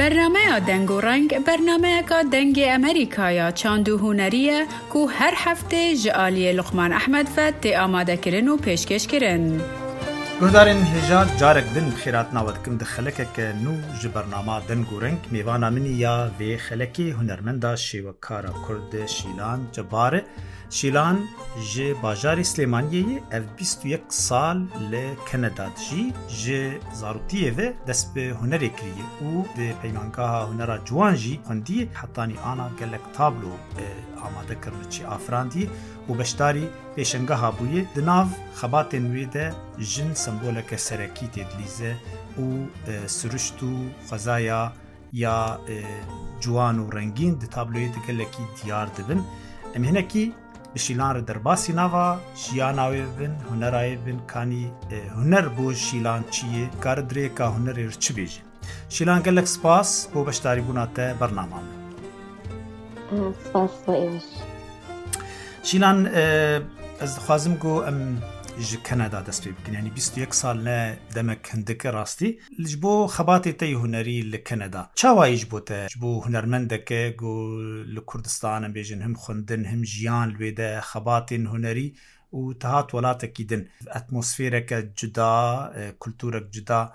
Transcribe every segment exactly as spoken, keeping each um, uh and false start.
Bernameya Deng û Reng bernameyeka Dengê Amerîkaya çand û hunerî ye ku her heftê ji aliyê Luqman Ehmed ve tê amadekirin û pêşkêşkirin. Guhdarên hêja carek din bi xêratina we dikim di xelekeke nû ji bernama Deng û Reng mêvana minî ya vê xelekê hunermenda şêwekara Kurd Şîlan Cebar e. Şîlan ji bajarê Silêmaniyê ye ev bîst û yek sal li Keneda dijî ji zaroktiyê ve dest bi hunerê kiriye û di peymangeha hunera ciwan jî xwendiye hetanî ana gelek tablo amade kirine çi afirandiye û beşdarî pêşengeha bûye di nav xebatên wê de jin semboleke serekî tê dilîze û siruşt û xwezaya ya ciwan û rengîn di tabloyê de gelekî diyar dibin. Em hinekî bi Şîlan re derbasî nava jiyana wê bibin, hunera wê bibin, kanî huner bo Şîlan çi ye, kare dirêka hunerê re çi bêje. Şîlan gelek spas bo beşdarîbûna te bernama min. Spas bo êweş. Şîlan ez dixwazim ku em ji Kanada dest pê bikin. Yani bîst û yek sal ne demek hindike rastî. Ji bo xebatê te yê hunerî li Kanada. Çawa ji bo te? Ji bo hunermendeke ku li Kurdistan em bêjin him xwendin him jiyan li wê de xebatên hunerî û te hat welatekî din. Atmosfereke cuda, kulturek cuda.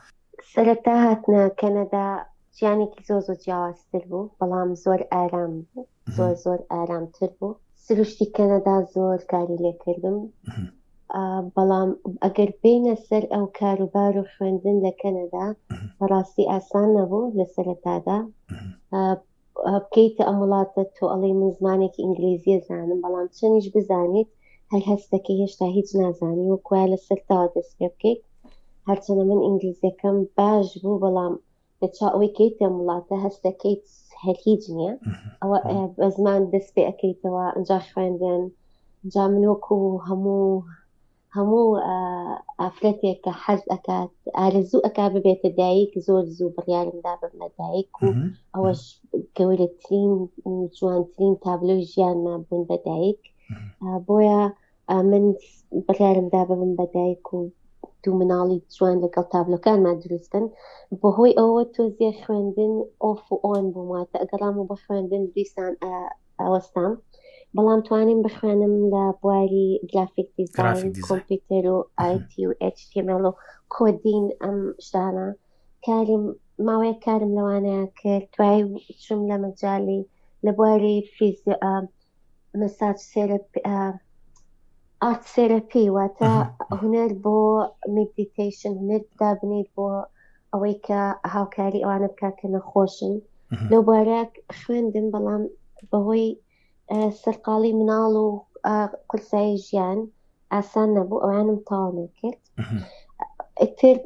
Sereta hatine Kanada jiyanekî zor zor ciyawaztir bû, belam zor aram bû. Zor zor aramtir bû. Siruştî Kanada zor karî lê kirdim. بەڵام ئەگەر بینە سەر ئەو کاروبار و خوێندن لە کەنەدا بەڕاستی ئاسان نەبوو لە سەرەتادا. بکەیتە ئەم وڵاتە تۆ ئەڵێی من زمانێکی ئینگلیزیە زانم، بەڵام چەندیش بزانیت هەر هەستەکەی هێشتا هیچ نازانی و کوایە لە سەرتاوە دەست پێ بکەیت. هەرچەندە من ئینگلیزیەکەم باش بوو، بەڵام لە چاو ئەوەی کەیتە ئەم وڵاتە هەستەکەیت هەر هیچ نییە. ئەوە بە زمان دەست پێ ئەکەیتەوە، ئەنجا خوێندن، ئەنجا من وەکو هەموو هەموو ئافرەتێک کە حەز ئەکات ئارەزوو ئەکا ببێتە دایک، زۆر زوو بڕیارمدا ببمە دایک و ئەوەش گەورەترین جوانترین تابلۆی ژیانمان بوون بە دایک. بۆیە من بڕیارمدا ببم بە دایک و دوو مناڵی جوان لەگەڵ تابلۆکانمان دروستن. بەهۆی ئەوە تۆزیە خوێندن off و on بووم، واتە ئەگەڕامەوە بۆ خوێندن دیسان ئەوەستام، بەڵام توانیم بخوێنم لە بواری graphic design، کۆمپیوتەر و IT و ئێچ تی ئێم ئێڵ و coding ئەم شتانە. کاریم ماوەیە کارم لەوانەیە کرد. دوای چوم لە مەجالی لە بواری فیزیۆ massage therapy، art therapy، واتە هونەر بۆ meditation، هونەر دابنیت بۆ ئەوەی کە هاوکاری ئەوانە بکات کە نەخۆشن. لەو بوارە خوێندم، بەڵام بەهۆی سەرقاڵی مناڵ و قورسایی ژیان ئاسان نەبوو، ئەوانم تەواو نەکرد. ئیتر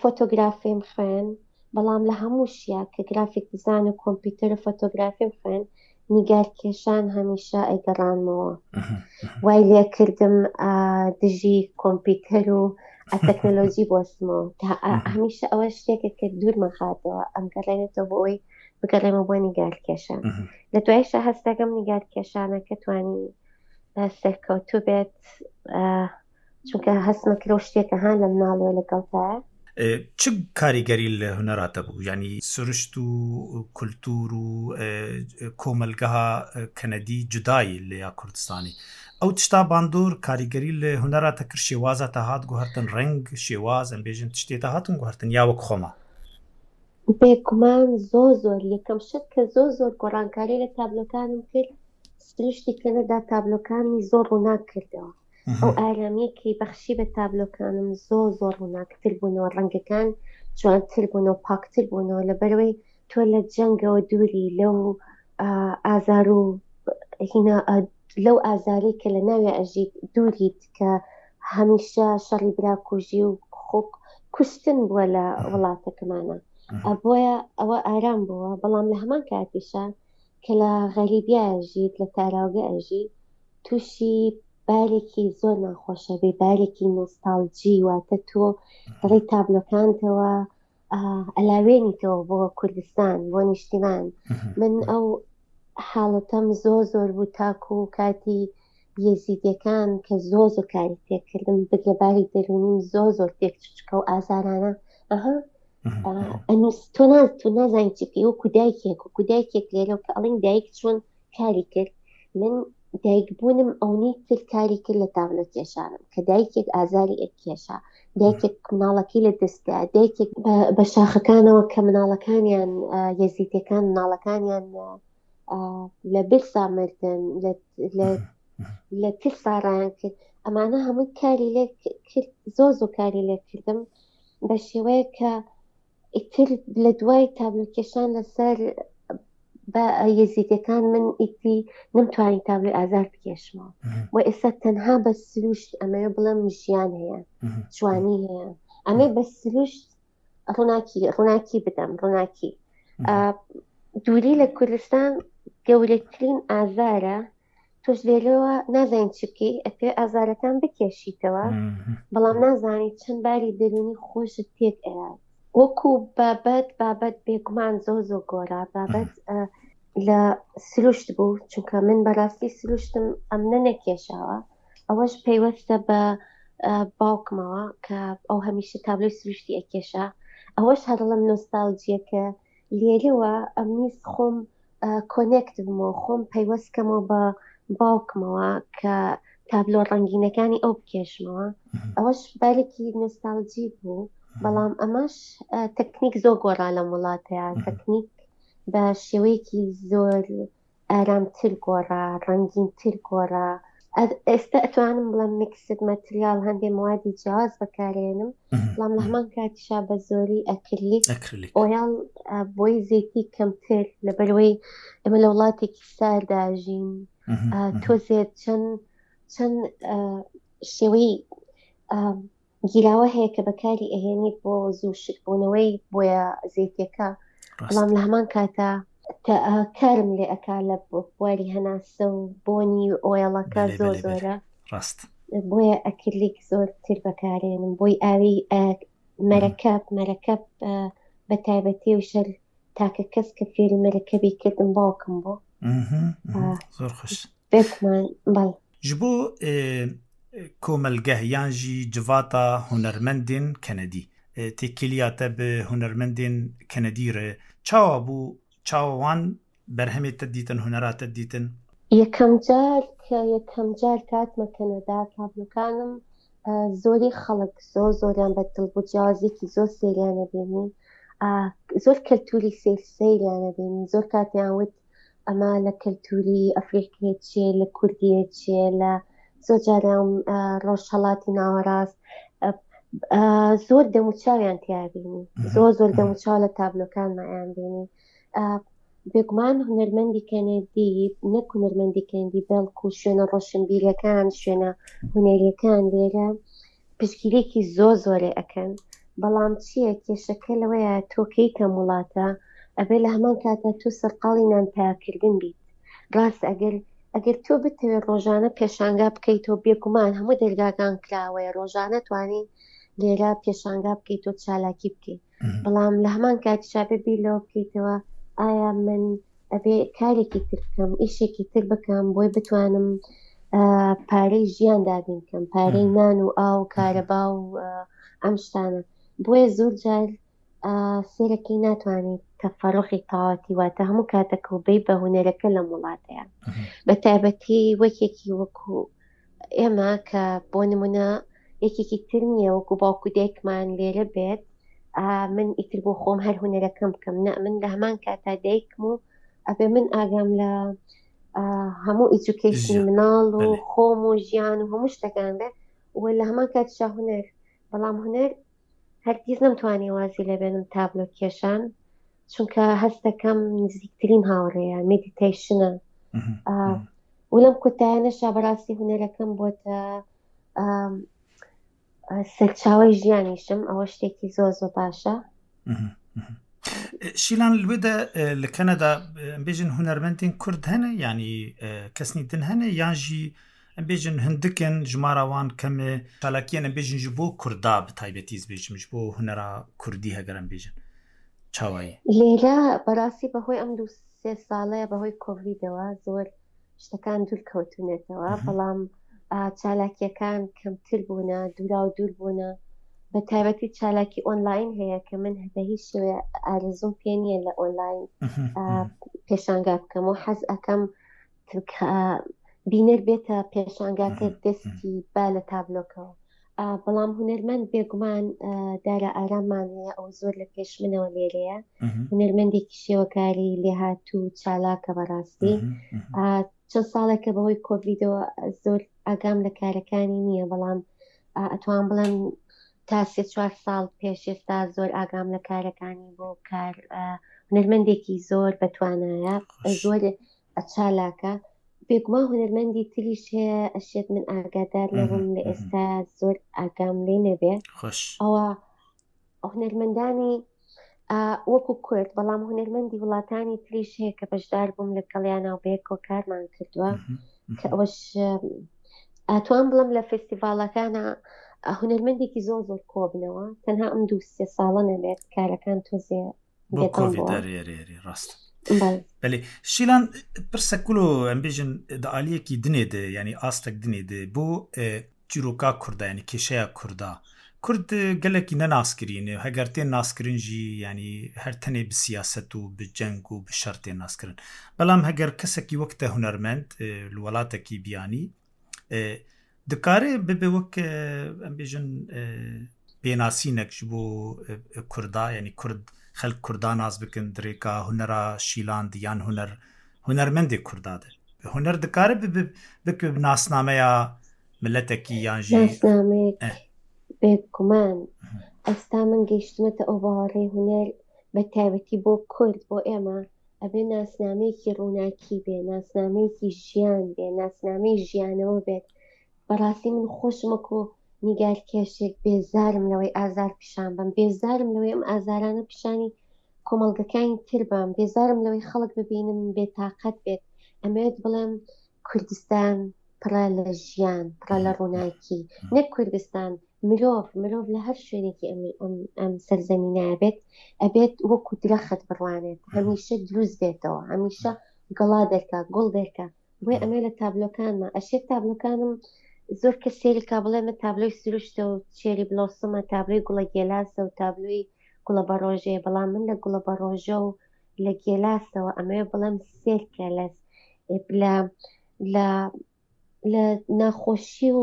فۆتۆگرافیم خوێن، بەڵام لە هەموو شیا کە graphic design و کۆمپیوتەر و فۆتۆگرافیم خوێن، نیگارکێشان هەمیشە ئەیگەڕانمەوە. وای لێکردم دژی کۆمپیوتەر و تەکنەلۆژی بۆسمەوە. هەمیشە ئەوە شتێکە کە دوورمان خاتەوە، ئەم گەڕێنێتەوە بۆ ئەوەی بگەڕێمە بۆ نیگارکێشان. لە دوایشە هەستەکەم نیگارکێشانەکە توانی سەرکەوتوو بێت، چونکە هەستمە کرد شتێکە هان لە مناڵەوە لەگەڵتایە. چ کاریگەری لە هونەراتە بوو؟ یعنی سروشت و کولتور و کۆمەلگەها کەنەدی جودایی لە یا کوردستانی. ئەو تشتا باندۆر کاریگەری لە هونەراتە کرد، شێوازە تا هات گوهرتن ڕەنگ، شێواز ئەم بێژن تشتێ تا هاتن گوهرتن یا وەک خۆما؟ بێگومان زۆر زۆر. یەکەم شت کە زۆر زۆر گۆڕانکاری لە تابلۆکانم کرد، سروشتی کەنەدا تابلۆکانی زۆر ڕووناک کردەوە. ئەو ئارامیەکی بەخشی بە تابلۆکانم زۆر زۆر ڕووناکتر بوونەوە، ڕەنگەکان جوانتر بوونەوە، پاکتر بوونەوە. لەبەرەوەی تۆ لە جەنگەوە دووری، لەو ئازار و هینا لەو ئازاری کە لە ناوێ ئەژیت دووریت، کە هەمیشە شەڕی براکوژی و خۆ کوشتن بووە لە وڵاتەکەمانە. بۆیە ئەوە ئارام بووە. بەڵام لە هەمان کاتیشە کە لە غەریبیا ئەژیت، لە تاراوگە ئەژی، تووشی بارێکی زۆر ناخۆشە بێ، بارێکی نۆستالجی، واتە تۆ دەڵێی تابلۆکانتەوە ئەلاوێنیتەوە بۆ کوردستان، بۆ نیشتیمان. من ئەو حاڵەتەم زۆر زۆر بوو تاکو کاتی یەزیدیەکان کە زۆر زۆر کاری تێکردم، بگرە باری دەروونیم زۆر زۆر تێک چوو، چونکە ئەو ئازارانە ئەها ئەنووس تۆ ناز تۆ نازانی چی بکەی، وەکو دایکێک، وەکو دایکێک لێرە کە ئەڵێن دایک چۆن کاری کرد، من دایک بوونم ئەونەی تر کاری کرد لە تابلۆ کێشانم، کە دایکێک ئازاری ئەکێشا، دایکێک مناڵەکەی لە دەستدا، دایکێک بە شاخەکانەوە کە مناڵەکانیان یەزیدیەکان مناڵەکانیان لە برسا مردن، لە ترسا ڕایان کرد، ئەمانە هەمووی کاری لێ کرد، زۆر زۆر کاری لێ کردم بە شێوەیە کە ئیتر لە دوای تابلۆ کێشان لەسەر بە یەزیدیەکان من ئیتی نەمتوانی تابلۆی ئازار بکێشمەوە. و ئێستا تەنها بە سروشت ئەمەوێ بڵێم ژیان هەیە، جوانی هەیە، ئەمێ بە سروشت ڕووناکی ڕووناکی بدەم، ڕووناکی. دووری لە کوردستان گەورەترین ئازارە، تۆش لێرەوە نازانین چی بکەی، ئەتوێ ئازارەکان بکێشیتەوە، بەڵام نازانی چەند باری دەروونی خۆشت تێک ئەیات. وەکو بابەت بابەت بێگومان زۆر زۆر گۆڕا، بابەت لە سروشت بوو، چونکە من بەڕاستی سروشتم ئەمنە نەکێشاوە، ئەوەش پەیوەستە بە باوکمەوە کە ئەو هەمیشە تابلۆی سروشتی ئەکێشا، ئەوەش هەرڵم نۆستالجیەکە لێرەوە ئەمنیست خۆم connect بمەوە، خۆم پەیوەست کەمەوە بە باوکمەوە کە تابلۆ ڕەنگینەکانی ئەو بکێشمەوە، ئەوەش بارێکی نۆستالجی بوو. بەڵام ئەمەش تەکنیک زۆر گۆڕا لەم وڵاتەیە، تەکنیک بە شێوەیەکی زۆر ئارامتر گۆڕا، ڕەنگینتر گۆڕا. ئێستا ئەتوانم بڵێم mixed material، هەندێک موادی جیاواز بەکارێنم، بەڵام لە هەمان کاتیشا بە زۆری acrylic oil بۆی زەیتی کەمتر، لەبەرەوەی ئێمە لە وڵاتێکی ساردا ژین، تۆزێت چەند چەند شێوەی گیراوە هەیە کە بەکاری ئەهێنیت بۆ زوو شکبوونەوەی بۆیە زەیتەکە، بەڵام لە هەمان کاتا کارم لێ ئەکا لە بواری هەناسە و بۆنی ئۆیڵەکە زۆر زۆرە، ڕاست، بۆیە ئەکرلیک زۆرتر بەکارێنم، بۆی ئاوی مەرەکەب، مەرەکەب بە تایبەتی و شەر تاکە کەس کە فێری مەرەکەبی کردم باوکم بوو. زۆر خۆش بێگومان. بەڵێ ji bo komelgeh yan jî civata hunermendên Kenedî têkiliya te bi hunermendên Kenedî re çawa bû, çawa wan berhemê te dîtin, hunera te dîtin؟ یەکەم جار کە یەکەم جار کاتمە کەنەدا تابلۆکانم زۆری خەڵک زۆر زۆریان بەدڵ بوو، جیاوازێکی زۆر سەیریانە بینی، زۆر کەلتوری سەیر سەیریانە بینی، زۆر کاتیان وت ئەمە لە کەلتوری ئەفریقیە چێ، لە کوردیە چێ، لە زۆر جاریان ڕۆژهەڵاتی ناوەڕاست، زۆر دەموچاویان تیابینی، زۆر زۆر دەموچاو لە تابلۆکانمایان بینی. بێگومان هونەرمەندی کەنەدی، نەک هونەرمەندی کەنەدی بەڵکو شوێنە ڕۆشنبیرەکان، شوێنە هونەریەکان لێرە پشتگیریەکی زۆر زۆرێ ئەکەن. بەڵام چییە کێشەکە لەوەیە تۆ کەیتە وڵاتە ئەبێ لە هەمان کاتە تۆ سەرقاڵی نانپاکردن بیت. ڕاست ئەگەر ئەگەر تۆ بتەوێت ڕۆژانە پێشانگا بکەیتەوە، بێگومان هەموو دەرگاکان کراوەیە، ڕۆژانە توانی لێرە پێشانگا بکەیتەوە، چالاکی بکەیت، بەڵام لە هەمان کاتیشا بێ بیر لەوە بکەیتەوە ئایا من ئەبێ کارێکی تر بکەم، ئیشێکی تر بکەم بۆی بتوانم پارەی ژیان دابین بکەم، پارەی نان و ئاو و کارەبا و ئەم شتانە. بۆیە زۆر جار سێرەکەی ناتوانیت تەفەڕۆخی تەواوەتی، واتە هەموو کاتەکە و بەی بە هونەرەکە لەم وڵاتەیە، بە تایبەتی وەکێکی وەکو ئێمە کە بۆ نمونە یەکێکی تر نییە وەکو باوکو دایکمان لێرە بێت، من ئیتر بۆ خۆم هەر هونەرەکەم بکەم، نە من لە هەمان کاتا دایکم و ئەبێ من ئاگام لە هەموو ئیجوکەیشنی مناڵ و خۆم و ژیان و هەموو شتەکان بێ و لە هەمان کاتیشا هونەر. بەڵام هونەر هەرگیز نەمتوانی وازی لێبێنم تابلۆ کێشان، چونکە هەستەکەم نزیکترین هاوڕێیە، meditation ە. و لەم کۆتایانەشا بەڕاستی هونەرەکەم بۆتە سەرچاوەی ژیانیشم، ئەوە شتێکی زۆر زۆر باشە. شیلان لوێدە لە کەنەدا بێژن هونەرمەندên Kurd hene yanî kesnî din hene yan jî em bêjin hindikin jimara wan kemê çalakiyên em bêjin ji bo Kurda bi taybetî ez bêjim ji bo hunera Kurdî heger em bêjin çawa ye؟ لێرە بەڕاستی بەهۆی ئەم دوو سێ ساڵەیە بەهۆی کۆڤیدەوە زۆر شتەکان دوور کەوتونێتەوە، بەڵام چالاکیەکان کەمتر بوونە، دوورا و دوور بوونە. بە تایبەتی چالاکی ئۆنلاین هەیە کە من بە هیچ شێوەیە ئارەزووم پێ نییە لە ئۆنلاین پێشانگا بکەم و حەز ئەکەم بینەر بێتە پێشانگاکە دەستی با لە تابلۆکەوە. بەڵام هونەرمەند بێگومان دارا ئارامان هەیە، ئەو زۆر لە پێش منەوە لێرەیە، هونەرمەندێکی شێوەکاری لێهاتوو چالاکە بەڕاستی. چەند ساڵێکە بەهۆی کۆڤیدەوە زۆر ئاگام لە کارەکانی نییە، بەڵام ئەتوان بڵێم تا سێ چوار ساڵ پێش ئێستا زۆر ئاگام لە کارەکانی بۆ کار. هونەرمەندێکی زۆر بەتوانایە، زۆر چالاکە. بێگومان هونەرمەندی تریش هەیە ئەشێت من ئاگادار نەبم لە ئێستا زۆر ئاگام لێ نەبێ. ئەوە هونەرمەندانی وەکو کورد، بەڵام هونەرمەندی وڵاتانی تریش هەیە کە بەشدار بووم لەگەڵیانە و بەیەکەوە کارمان کردووە، کە ئەوەش ئەتوان بڵم لە فێستیڤاڵەکانە هونەرمەندێکی زۆر زۆر کۆبنەوە، تەنها ئەم دوو سێ ساڵە نەبێت کارەکان تۆزێ بۆ کۆڤید ڕاست. بەێ شیلان پرسە کولو ئەم بێژن دە عالیەکی دنێ دێ، یعنی ئاستێک دنێ دێ بۆ چیرۆکا کووردا، ینی کێشەیە کووردا. کورد gelekî nenaskirîne heger tên naskirin jî yanî her tenê bi siyaset û bi ceng û bi şer tên naskirin. Belam heger kesekî wek te hunermend li welatekî biyanî dikare bibe wek em bêjin pênasînek ji bo Kurda, yanî Kurd xelk Kurda nas bikin dirêka hunera Şîlan yan huner hunermendê Kurda de. Huner dikare bibe bike bi nasnameya miletekî yan jî nasnameyek بێگومان. ئێستا من گەیشتمەتە ئەو باوەڕەی هونەر بە تایبەتی بۆ کورد، بۆ ئێمە ئەبێ ناسنامەیەکی ڕووناکی بێ، ناسنامەیەکی ژیان بێ، ناسنامەی ژیانەوە بێت. بەڕاستی من خۆشم وەکو نیگارکێشێک بێزارم لەوەی ئازار پیشان بم، بێزارم لەوەی ئەم ئازارانە پیشانی کۆمەڵگەکانی تر بم، بێزارم لەوەی خەڵک ببینم بێتاقەت بێت. ئەمەوێت بڵێم کوردستان پڕە لە ژیان، پڕە لە ڕووناکی، نەک کوردستان مرۆڤ، مرۆڤ لە هەر شوێنێکی ئەم سەرزەمینە بێت ئەبێت وەکو درەخت بڕوانێت، هەمیشە دروست بێتەوە، هەمیشە گەڵا دەرکا، گوڵ دەرکا. بۆیە ئەمێ لە تابلۆکانمە ئەشێت تابلۆکانم زۆر کە سێریکا بڵێ من تابلۆی سروشتە و cherry blossom ە، تابلۆی گوڵە گێلاسە و تابلۆی گوڵە بەڕۆژەیە، بەڵام من لە گوڵە بەڕۆژە و لە گێلاسەوە ئەمەوێ بڵێم سێرکە لە لە لە ناخۆشی و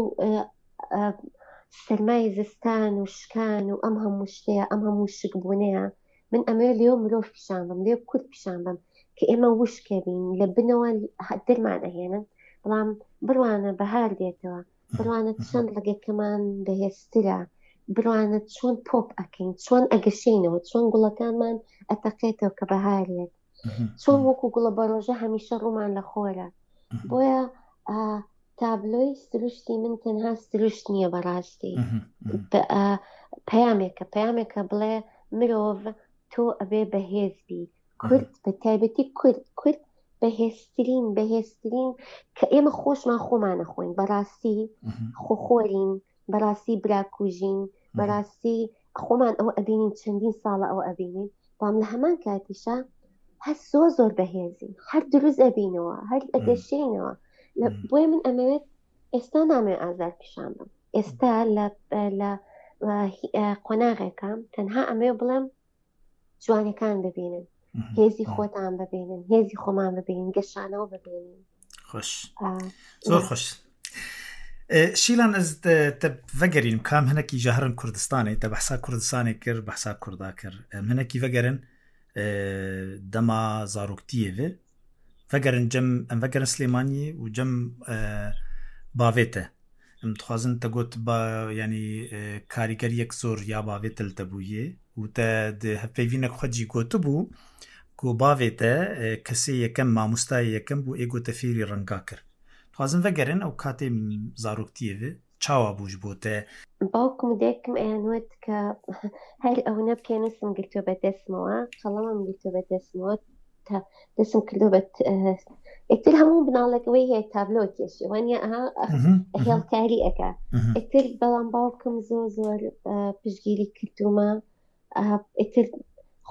سەرمای زستان و شکان و ئەم هەموو شتەیە، ئەم هەموو شکبوونەیە. من ئەمەوێ لێو مرۆڤ پیشان بم، لێو کورد پیشان بم کە ئێمە وشکە بین، لە بنەوە دەرمان ئەهێنن، بەڵام بڕوانە بەهار دێتەوە، بڕوانە چەند ڕێگەکەمان بەهێزترە، بڕوانە چۆن پۆپ ئەکەین، چۆن ئەگەشینەوە، چۆن گوڵەکانمان ئەتەقێتەوە کە بەهارێت، چۆن وەکو گوڵە بەڕۆژە هەمیشە ڕوومان لە خۆرە. بۆیە تابلۆی سروشتی من تەنها سروشت نییە بەڕاستی، پەیامێکە، پەیامێکە بڵێ مرۆڤ تۆ ئەبێ بەهێز بی. کورد بە تایبەتی کورد، کورد بەهێزترین، بەهێزترین کە ئێمە خۆشمان خۆمانە خۆین، بەڕاستی خۆخۆرین، بەڕاستی براکوژین، بەڕاستی خۆمان ئەوە ئەبینین، چەندین ساڵە ئەوە ئەبینین، بەڵام لە هەمان کاتیشا هەر زۆر زۆر بەهێزین، هەر دروست ئەبینەوە، هەر ئەگەشێنەوە. بۆیە من ئەمەوێت ئێستا نامەوێت ئازار پیشان بم، ئێستا لە قۆناغێکە تەنها ئەمەوێت بڵێم جوانەکان ببینن، هێزی خۆتان ببینن، هێزی خۆمان ببینن، گەشانەوە ببینن. خۆش، زۆر خۆش. شیلان ez te vegerînim kam hinekî ji herin Kurdistanê, te behsa Kurdistanê kir, behsa Kurda kir. Em hinekî vegerin dema zaroktiyê ve vegerin cem, em vegerin Silêmaniyê û cem bavê te. Em dixwazin te got ba yanî karîgeriyek zor ya bavê te li te bûye û te di hevpeyvînek xwe jî gotibû ku bavê te kesê yekem mamostayê yekem bû ê got te fêrî renga kir. Dixwazin vegerin ew katê zaroktiyê ve çawa bû ji bo te؟ باوکم و دایکم ئەیانوت کە هەر ئەوەنە پێنووسم گرتووە بە دەستمەوە، قەڵەمم گرتووە بە دەستمەوە، تا دەستم کردووە بە ئیتر هەموو بناڵێک ئەوەی هەیە تابلۆ کێشی وانیە، ئەها هێڵکاری ئەکا. ئیتر بەڵام باوکم زۆر زۆر پشتگیری کردوومە. ئیتر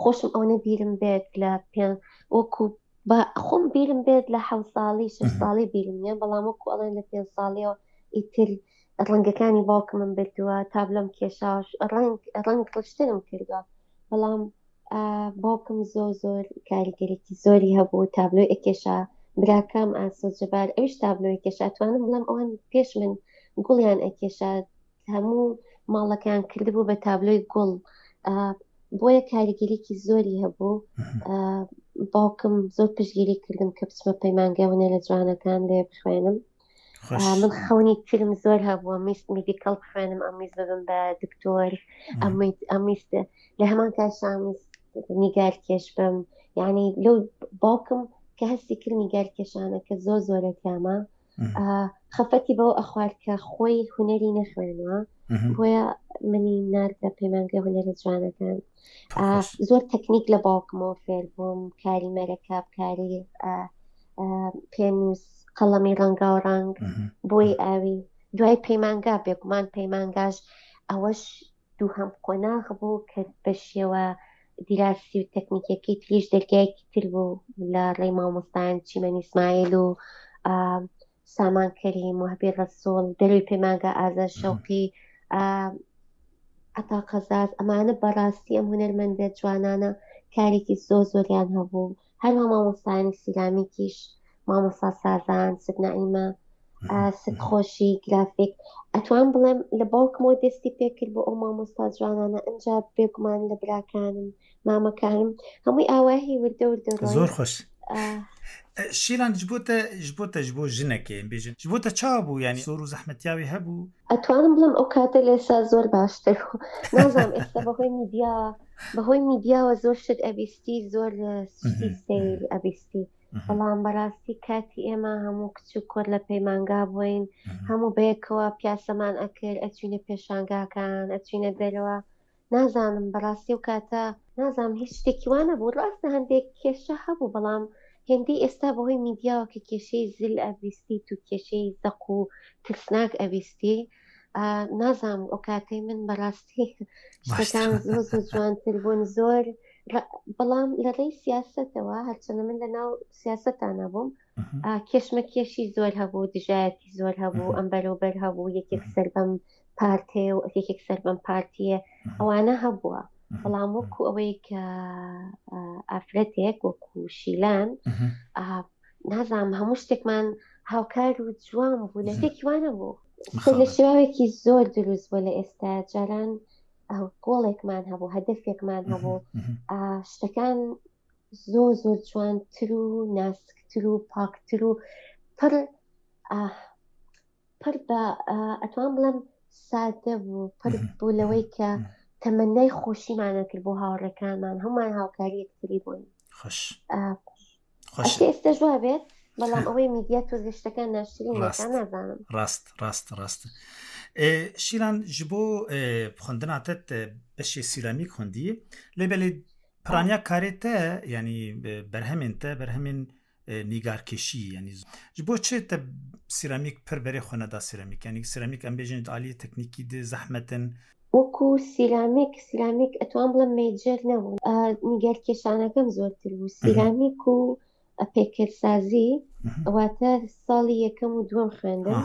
خۆشم ئەوەنە بیرم بێت لە پێ وەکو خۆم بیرم بێت لە حەوت ساڵی شەش ساڵی بیرم نییە، بەڵام وەکو ئەڵێن لە پێنج ساڵیەوە ئیتر ڕەنگەکانی باوکمم بردووە، تابلۆم کێشاش، ڕەنگ ڕەنگ ڕشتنم کردووە، بەڵام باوکم زۆر زۆر کاریگەرێکی زۆری هەبوو، تابلۆی ئەکێشا. براکەم ئاسۆ جەبار ئەویش تابلۆی کێشا. توانم بڵێم ئەوان پێش من گوڵیان ئەکێشا، هەموو ماڵەکەیان کردبوو بە تابلۆی گوڵ، بۆیە کاریگەریکی زۆری هەبوو. باوکم زۆر پشتگیری کردم کە بچمە پەیمانگای هونەرە جوانەکان لێ بخوێنم. من خەونی ترم زۆر هەبووە، میست medical بخوێنم، ئەمویست ببم بە دکتۆر، ئەمویست لە هەمان کاتدا ئەمویست نیگار کێش بم. یعنی لەو باوکم کە هەستی کرد نیگار کێشانەکە زۆر زۆرە تیامە، خەفەتی بەوە ئەخوارد کە خۆی هونەری نەخوێنەوە، بۆیە منی ناردە پەیمانگای هونەرە جوانەکان. زۆر تەکنیک لە باوکمەوە فێر بووم، کاری مەرەکەب، کاری پێنووس، قەڵەمی ڕەنگاو ڕەنگ، بۆی ئاوی. دوای پەیمانگا بێگومان پەیمانگاش ئەوەش دووهەم قۆناغ بوو کە بە شێوە دیراسی و تەکنیکەکەی تریش دەرگایەکی تر بوو لە ڕێی مامۆستایان چیمەن ئیسماعیل و سامان کەریم، وەهبی ڕەسوڵ، دەروی پەیمانگا ئازاد شەوقی، عەتا قەزاز. ئەمانە بەڕاستی ئەم هونەرمەندە جوانانە کارێکی زۆر زۆریان هەبوو. هەروە مامۆستایانی سیرامیکیش، مامۆستا سازان، ست نەعیمە، ست خۆشی، گرافیک. ئەتوان بڵێم لە باوکمەوە دەستی پێکرد بۆ ئەو مامۆستا جوانانە، ئەنجا بێگومان لە براکانم، مامەکانم، هەمووی ئاواهی وردە وردە ڕۆی. زۆر خۆش. شیلان ji bo te ji bo te ji bo jinekê em bêjin ji bo te çawa bû yanî zor û zehmetiya wê hebû؟ ئەتوانم بڵێم ئەو کاتە لێسا زۆر باشتر بوو. نازانم ئێستا بەهۆی میدیا بەهۆی میدیاوە زۆر شت ئەبیستی، زۆر شتی سەیر ئەبیستی، بەڵام بەڕاستی کاتی ئێمە هەموو کچ و کوڕ لە پەیمانگا بووین، هەموو بەیەکەوە پیاسەمان ئەکرد، ئەچوینە پێشانگاکان، ئەچوینە دەرەوە. نازانم بەڕاستی و کاتە نازانم هیچ شتێکی وانە بوو. ڕاستە هەندێک کێشە هەبوو، بەڵام هێندەی ئێستا بەهۆی میدیاوە کە کێشەی زل ئەبیستی و کێشەی زەق و ترسناک ئەبیستی، نازانم ئەو کاتەی من بەڕاستی شتەکان زۆر زۆر جوانتر بوون، زۆر. بەڵام لە ڕێی سیاسەتەوە، هەرچەندە من لەناو سیاسەتانە بووم، کێشمە کێشی زۆر هەبوو، دژایەتی زۆر هەبوو، ئەم بەرەوبەر هەبوو، یەکێک سەر بەم پارتێ و یەکێک سەر بەم پارتیە، ئەوانە هەبووە. بەڵام وەکو ئەوەی کە ئافرەتێک وەکو شیلان، نازانم هەموو شتێکمان هاوکار و جوان بوو، لە تێکی وانە بوو. لە شێواوێکی زۆر دروست بوو لە ئێستا. جاران گۆڵێکمان هەبوو، هەدەفێکمان هەبوو، شتەکان زۆر زۆر جوانتر و ناسکتر و پاکتر و پڕ پڕ بە ئەتوان بڵێم سادە بوو، پڕ بوو لەوەی کە تەمەنای خۆشیمانە کرد بۆ هاوڕێکانمان، هەمومان هاوکاری یەکتری بووین. خۆش خۆش ئێستا وا بێت، بەڵام ئەوەی میدیا تۆزێ شتەکان ناشرین دەکات، نازانم. ڕاست ڕاست ڕاست. شیلان ji bo xwendina te beşê sîramîk xwendiye, lê belê piraniya karê te yanî berhemên te berhemên nîgarkêşî, yanî ji bo çi te سیرامیک پر berê xwe neda سیرامیک؟ yanî سیرامیک em bêjin aliyê teknîkî de zehmetin. وەکو سیرامیک سیرامیک ئەتوان بڵێم major نەبوو، نیگارکێشانەکەم زۆرتر بوو. سیرامیک و پێکەرسازی واتە ساڵی یەکەم و دووەم خوێندم.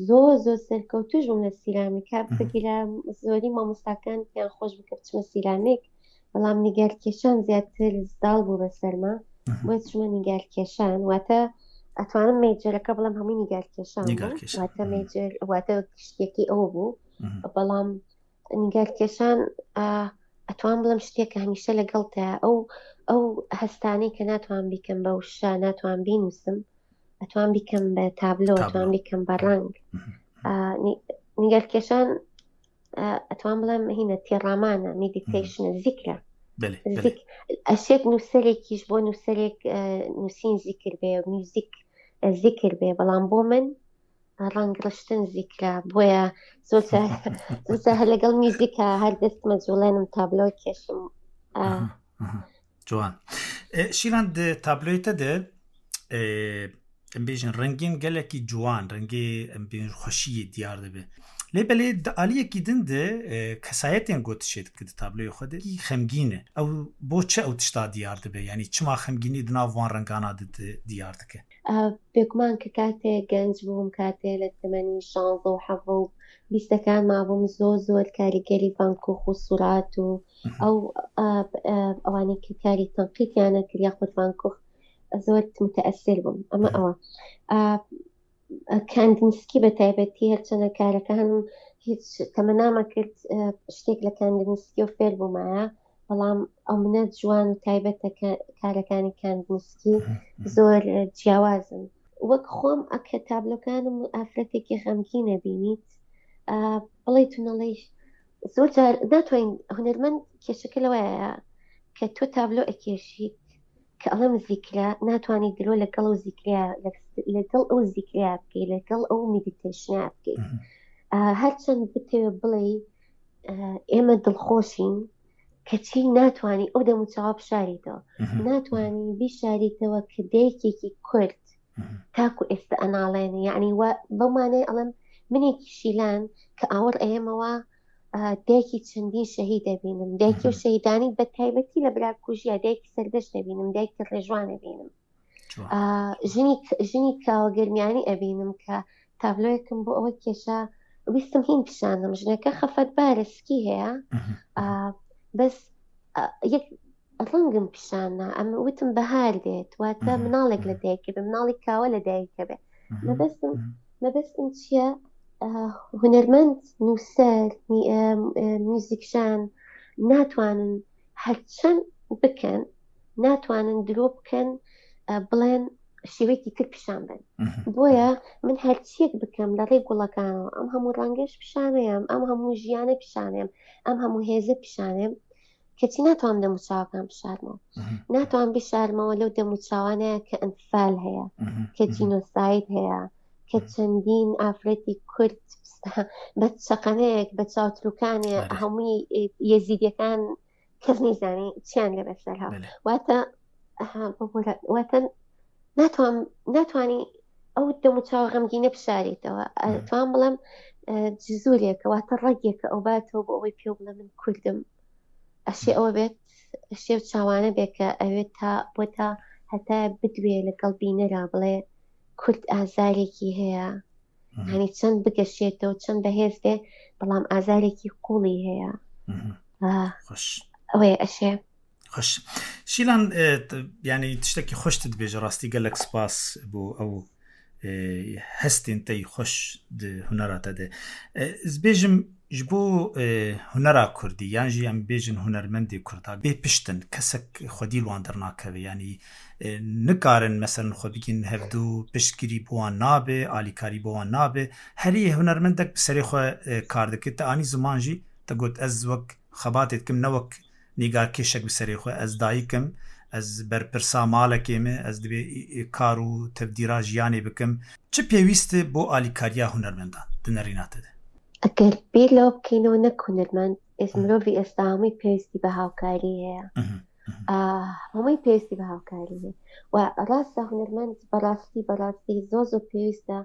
زۆر زۆر سەرکەوتوش بووم لە سیرامیکا، بگیرە زۆری مامۆستاکان پێیان خۆش بکە بچمە سیرامیک، بەڵام نیگارکێشان زیاتر زاڵ بوو بەسەرما، بۆیە چوومە نیگارکێشان. واتە ئەتوانم major ەکە بڵێم هەمووی نیگارکێشان بوو، واتە major واتە شتێکی ئەو بوو. بەڵام نیگارکێشان ئەتوان بڵێم شتێکە هەمیشە لەگەڵتە، ئەو ئەو هەستانەی کە ناتوان بیکەم بە وشە، ناتوان بینووسم، ئەتوان بیکەم بە تابلۆ، ئەتوان بیکەم بە ڕەنگ. نیگارکێشان ئەتوان بڵێم هینە تێڕامانە، meditation ە، زیکرە. ئەشێت نووسەرێکیش بۆ نووسەرێک نووسین زیکر بێ، میوزیک زیکر بێ، بەڵام بۆ من ڕەنگ ڕشتن زیکرە. بۆیە زۆر هەر لەگەڵ میوزیکە هەر دەستمە جوڵێنم تابلۆ کێشم. جوان. شیلان تابلۆی te de em bêjin rengên gelekî ciwan, rengê em bêjin xweşiyê diyar dibe. Lê belê di aliyekî din de kesayetên got tişê dike di tabloyê xwe de xemgîn e. Ew bo çi ew tişta diyar dibe? Yanî çima xemgînî di nav wan rengana de diyar dike? بێگومان کە کاتێ گەنج بووم، کاتێ لە تەمەنی شانزە و حەڤە و بیستەکان مابووم، زۆر زۆر کاریگەری ڤان کوخ و سورات و ئەو ئەوانەی کە کاری تەنقیدیانە کرد یاخود ڤان کوخ زۆر متەئەسیر بووم. ئەمە ئەوە کاندینسکی بە تایبەتی هەرچەنە کارەکانم هیچ تەمەنامە کرد شتێک لە کاندینسکی و فێر بوومایە، بەڵام ئەو منە جوان و تایبەتە کارەکانی کاندینسکی زۆر جیاوازن. وەک خۆم ئەکە تابلۆکانم ئافرەتێکی غەمگینە بینیت، بڵێ تو نەڵێی زۆر جار ناتوانین هونەرمەند کێشەکە لەوەیە کە تۆ تابلۆ ئەکێشیت کە ئەڵێم زیکرا، ناتوانانی درۆ لەگەڵ ئەو زیکرا لەگەڵ ئەو زیکرا بکەی، لەگەڵ ئەو meditation ە بکەی. هەرچەند بتەوێ بڵێ ئێمە دڵخۆشین، کەچی ناتوانی ئەو دەموچاوە بشاریتەوە، ناتوانی بیشاریتەوە کە دایکێکی کورد تاکو ئێستا ئەناڵێنێ. یعنی بەو مانای ئەڵێم منێکی شیلان کە ئاوەڕ ئێمەوە دایکی چەندین شەهید دەبینم، دایکی و شەهیدانی بە تایبەتی لە براکوژیە، دایکی سەردەشت دەبینم، دایکی ڕێژوان دەبینم، ژنی ژنی کاوە گەرمیانی ئەبینم کە تابلۆیەکم بۆ ئەوە کێشا ویستم هین پیشانم، ژنەکە خەفەتبارە سکی هەیە، بەس یەک ڕەنگم پیشانە، ئەمە وتم بەهار دێت، واتە مناڵێک لە دایکە بێ، مناڵی کاوە لە دایکە بێ. مەبەستم مەبەستم چییە؟ هونەرمەند، نووسەر، میوزیکژان ناتوانن هەرچەند بکەن، ناتوانن درۆ بکەن بڵێن شێوەیەکی تر پیشان بن. بۆیە من هەرچیەک بکەم لە ڕێی گوڵەکانەوە، ئەم هەموو ڕەنگەش پیشانەیەم، ئەم هەموو ژیانە پیشانەیەم، ئەم هەموو هێزە پیشانەیەم، کەچی ناتوانم دەموچاوەکان بشارمەوە، ناتوانم بشارمەوە لەو دەموچاوانەیە کە ئەنفال هەیە، کە جینۆساید هەیە، کە چەندین ئافرەتی کورد بە چەقەنەیەک بە چاوتروکانێ هەمووی یەزیدیەکان کەس نەیزانی چیان لێ بەسەر هات. واتە واتە ناتوان ناتوانی ئەو دەموچاوە غەمگینە بشاریتەوە. توان بڵێم جزورێکە، واتە ڕەگێکە ئەو باتەوە بۆ ئەوەی پێ بڵێ من کوردم. ئەشێ ئەوە بێت، ئەشێ و چاوانە بێت کە ئەوێت تا بۆ تا هەتا بدوێ لەگەڵ بینەرا بڵێ کورد ئازارێکی هەیە، هەنی چەند بگەشێتەوە چەند بەهێز بێ، بەڵام ئازارێکی قوڵی هەیە. ئەوەیە ئەشێ. خوش شیلان، یعنی تشتێکی خۆشتت بێژە، ڕاستی گەلێک سپاس بۆ ئەو هەستین تەی خۆش هونەراتە دێ. ez bêjim ji bo hunera Kurdî yan jî em bêjin hunermendê Kurda bê piştin kesek xwedî li wan dernakeve, yanî nikarin meselen xwe bigîn hevdû, piştgirî bo wan nabe, alîkarî bo wan nabe. Herî hunermendek bi serê xwe kar dike. Te anî ziman jî te got ez wek xebatê dikim, ne wek nîgarkêşek bi serê xwe, ez dayîkim, ez berpirsa malekê me, ez dibê kar û tevdîra jiyanê bikim. Çi pêwîst e bo alîkariya hunermendan di nerîna te de? ئەگەر بیر لەوە بکەینەوە نەک هونەرمەند، ئێس مرۆڤی ئێستا هەمووی پێویستی بە هاوکاری هەیە، هەمووی پێویستی بە هاوکاری هەیە. و ڕاستە هونەرمەند بەڕاستی بەڕاستی زۆر زۆر پێویستە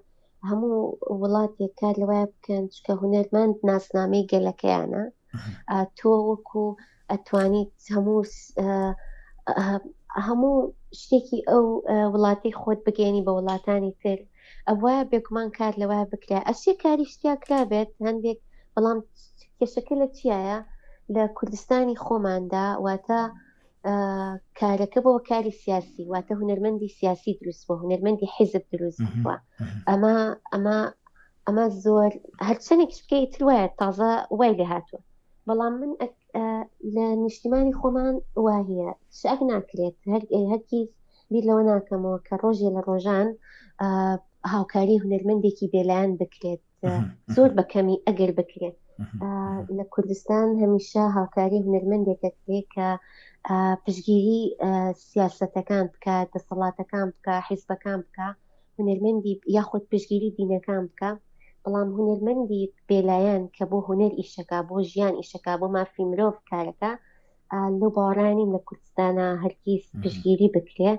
هەموو وڵاتێک کار لەوەیە بکەن، چونکە هونەرمەند ناسنامەی گەلەکەیانە. تۆ وەکو ئەتوانیت هەموو هەموو شتێکی ئەو وڵاتی خۆت بگەێنی بە وڵاتانی تر. ئەوە بێگومان کار لەوە بکرا، ئەشێ کاری شتیا کرا بێت هەندێک، بەڵام کێشەکە لە چیایە؟ لە کوردستانی خۆماندا، واتە کارەکە بۆ کاری سیاسی، واتە هونەرمەندی سیاسی دروست بووە، هونەرمەندی حیزب دروست بووە. ئەمە ئەمە ئەمە زۆر هەرچەندێکیش بکەی تر وایە تازە وای لێ هاتووە، بەڵام من لە نیشتیمانی خۆمان واهیە شک ناکرێت، هەرگیز بیر لەوە ناکەمەوە کە ڕۆژێ لە ڕۆژان هاوکاری هونەرمەندێکی بێلایەن بکرێت، زۆر بە کەمی ئەگەر بکرێت. لە کوردستان هەمیشە هاوکاری هونەرمەندێکە کرێت کە پشتگیری سیاسەتەکان بکە، دەسەڵاتەکان بکە، حیزبەکان بکە، هونەرمەندی یاخود پشتگیری دینەکان بکە. بەڵام هونەرمەندی بێلایەن کە بۆ هونەر ئیشەکە، بۆ ژیان ئیشەکە، بۆ مافی مرۆڤ کارەکە، لەو باوەڕانیم لە کوردستانە هەرگیز پشتگیری بکرێ.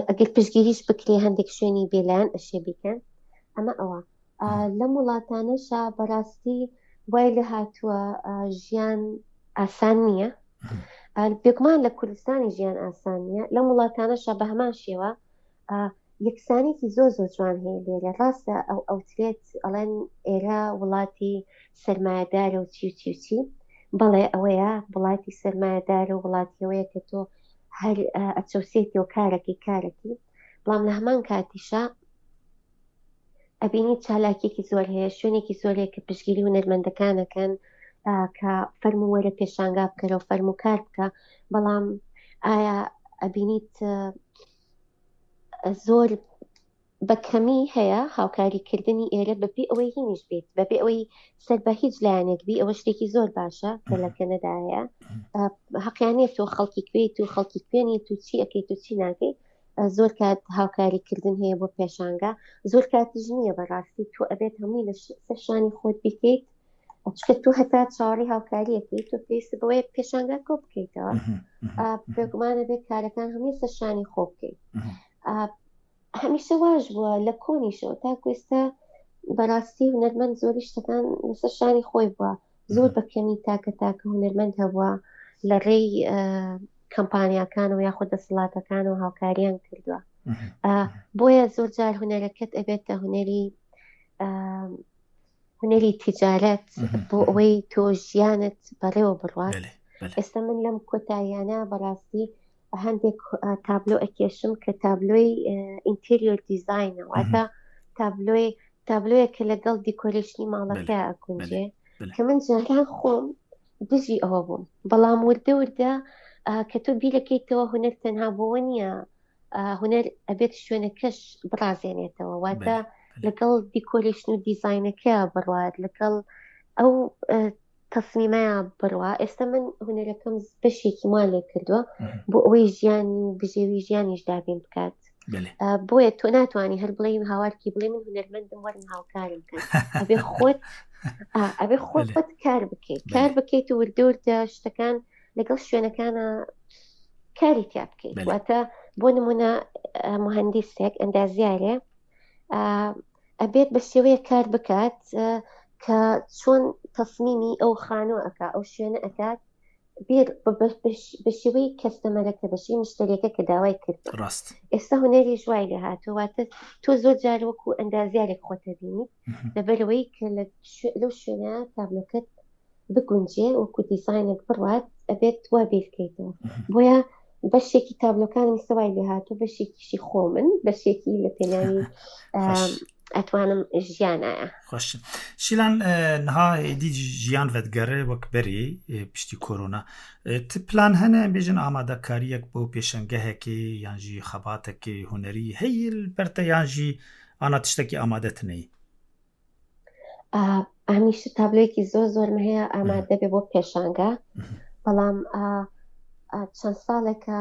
ئەگەر پشتگیریش بکرێ هەندێک شوێنی بێلایەن ئەشێ بیکەن. ئەمە ئەوە. لەم وڵاتانەشا بەڕاستی وای لە هاتووە ژیان ئاسان نییە. بێگومان لە کوردستانی ژیان ئاسان نییە، لەم وڵاتانەشا بە هەمان شێوە یەکسانێکی زۆر زۆر جوان هەیە لێرە. ڕاستە ئەو ئەوترێت ئەڵێن ئێرە وڵاتی سەرمایەدارە و چی و چی و چی، بەڵێ ئەوەیە وڵاتی سەرمایەدارە و وڵاتیەوەیە کە تۆ هەر ئەچەوسێتی و کارەکەی کارەکەی، بەڵام لە هەمان کاتیشا ئەبینی چالاکیەکی زۆر هەیە، شوێنێکی زۆر هەیە کە پشتگیری هونەرمەندەکانەکەن کە فەرموو وەرە پێشانگا بکەرەوە، فەرموو کار بکە. بەڵام ئایا ئەبینیت زۆر بە کەمی هەیە هاوکاریکردنی ئێرە بەبێ ئەوەی هینیش بێت، بەبێ ئەوەی سەر بە هیچ لایەنێک بی. ئەوە شتێکی زۆر باشە کە لە کەنەدا هەیە، حەقیانەیە تۆ خەڵکی کوێیت و خەڵکی کوێنیت و چی ئەکەیت و چی ناکەیت. زۆر کات هاوکاریکردن هەیە بۆ پێشانگا، زۆر کاتیش نییە. بەڕاستی تۆ ئەبێت هەمووی لە سەر شانی خۆت بیکەیت، چونکە تۆ هەتا چاوەڕێی هاوکاریەکەیت تۆ پێویستە بەوەیە پێشانگا کۆ بکەیتەوە. بێگومانە بێت کارەکان هەمووی سەر شانی خۆ بکەیت. هەمیشە واش بووە لە کۆنیشەوە تاکو ئێستا بەڕاستی هونەرمەند زۆری شتەکان لەسەر شانی خۆی بووە. زۆر بە کەمی تاکە تاکە هونەرمەند هەبووە لە ڕێی کەمپانیاکان و یاخود دەسەڵاتەکان و هاوکاریان کردووە. بۆیە زۆر جار هونەرەکەت ئەبێتە هونەری هونەری تیجارەت بۆ ئەوەی تۆ ژیانت بەڕێوە بڕوات. ئێستا من لەم کۆتاییانە بەڕاستی هەندێک تابلۆ ئەکێشم کە تابلۆی interior design ە، واتە تابلۆی تابلۆیە کە لەگەڵ decoration ی ماڵەکە ئەگونجێ، کە من جاران خۆم دژی ئەوە بووم، بەڵام وردە وردە کە تۆ بیرەکەیتەوە هونەر تەنها بۆوە نییە، هونەر ئەبێت شوێنەکەش بڕازێنێتەوە، واتە لەگەڵ decoration و دیزاینەکە بڕوات، لەگەڵ ئەو تەسمیمەیە بڕوا. ئێستا من هونەرەکەم بەشێکی مان لێ کردووە بۆ ئەوەی ژیانی و بژێوی ژیانیش دابین بکات. بۆیە تۆ ناتوانانی هەر بڵێ هاوارکی بڵێ من هونەرمەندم وەرن هاوکارم بکەن، ئەبێ خۆت ئەبێ خۆت کار بکەیت، کار بکەیت و وردە وردە شتەکان لەگەڵ شوێنەکانە کاری تیا بکەیت. واتە بۆ نمونە مهندسێک ئەندازیارێ ئەبێت بە شێوەیە کار بکات کە چۆن تەسمیمی ئەو خانوو ئەکا، ئەو شوێنە ئەکات بیر بە شێوەی کەستەمەرەکە، بە شێوەی مشتەریەکە کە داوای کرد. ڕاست ئێستا هونەری ژوای لێ هاتووە، واتە تۆ زۆر جار وەکو ئەندازیارێک خۆتە بینیت لەبەرەوەی کە لەو شوێنە تابلۆکەت بگونجێ وەکو دیزاینێک بڕوات ئەبێت وا بیرکەیتەوە. بۆیە بەشێکی تابلۆکانم سەوای لێ هاتوو، بەشێکیشی خۆمن، بەشێکی لە پێناوی ئەتوانم ژیانایە. خۆش شیلان نها ئیدی ژیان ڤەدگەڕێ وەک بەرێ پشتی کۆرۆنا ت پلان هەنە بێژن ئامادەکاریەک بۆ پێشەنگەهێکی یانژی خەباتێکی هونەری هەیە بەرتە یانژی ئانا تشتێکی ئامادەتنەی؟ هەمیشە تابلۆیەکی زۆر زۆرم هەیە ئامادە بێ بۆ پێشانگە، بەڵام چەند ساڵێکە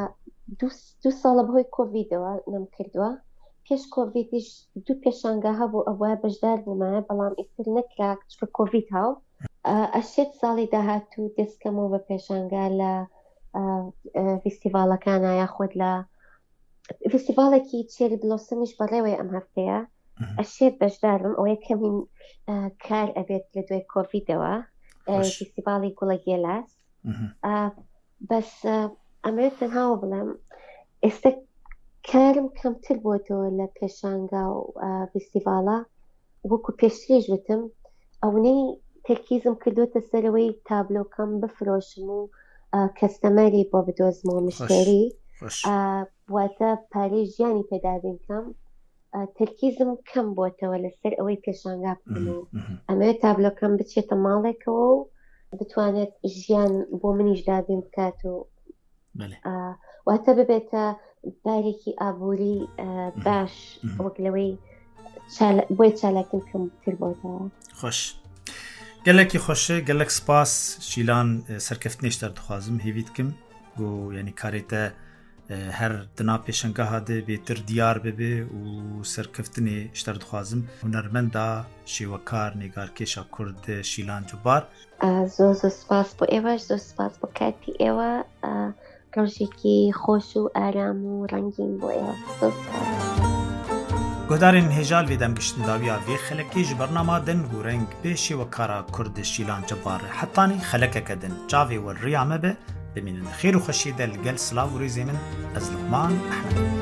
دوو ساڵە بەهۆی کۆڤیدەوە نەم کردووە. پێش کۆڤیدیش دوو پێشانگا هەبوو ئەوە بەشدار بوومایە، بەڵام ئیتر نەکرا چونکە کۆڤید هاو. ئەشێت ساڵی داهاتوو دەستکەمەوە بە پێشانگا لە فیستیڤاڵەکانە یاخود لە فیستیڤاڵێکی cherry blossom یش بەڕێوەی ئەم هەفتەیە ئەشێت بەشدارم. ئەوەیە کەمین کار ئەبێت لە دوای کۆڤیدەوە، فیستیڤاڵی گوڵە گێلاس. بەس ئەمەوێت تەنهاوە بڵێم ئێستا کارم کەمتر بۆتەوە لە پێشانگا و فیستیڤاڵە وەکو پێشتریش وتم، ئەوەی تەرکیزم کردوتە سەرەوەی تابلۆکەم بفرۆشم و customer ی بۆ بدۆزمەوە، مشتری، واتە پارەی ژیانی پێدابین کەم. تەرکیزم کەم بۆتەوە لەسەر ئەوەی پێشانگا بکەم و ئەمەوێت تابلۆکەم بچێتە ماڵێکەوە و بتوانێت ژیان بۆ منیش دابین بکات و واتە ببێتە بارێکی ئابووری باش وەک لەوەی بۆی چالاکیم کەمتر بۆتەوە. خۆش gelekî xweş e, gelek spas Şîlan serkeftinê ji te dixwazim, hêvî dikim ku yanî karê te her dina pêşengeha de bêtir diyar bibe û serkeftinê ji te dixwazim. Hunermenda şêwekar nêgarkêşa Kurd Şîlan Cebar. زۆر زۆر سپاس بۆ ئێوەش، زۆر سپاس بۆ کاتی ئێوە. ڕۆژێکی خۆش و ئارام و ڕەنگین بۆ ئێوە. زۆر سپاس. Guhdarên hêja li vê dem giştin dawiya vê xelekê ji bernama Deng û Reng bê şêwekara Kurd Şîlan Cebar re hetanî xelekeke din çavê we riya me be, bimînin di xêr û xweşiyê de li gel silav û rêzê min ez Luqman Ehmed.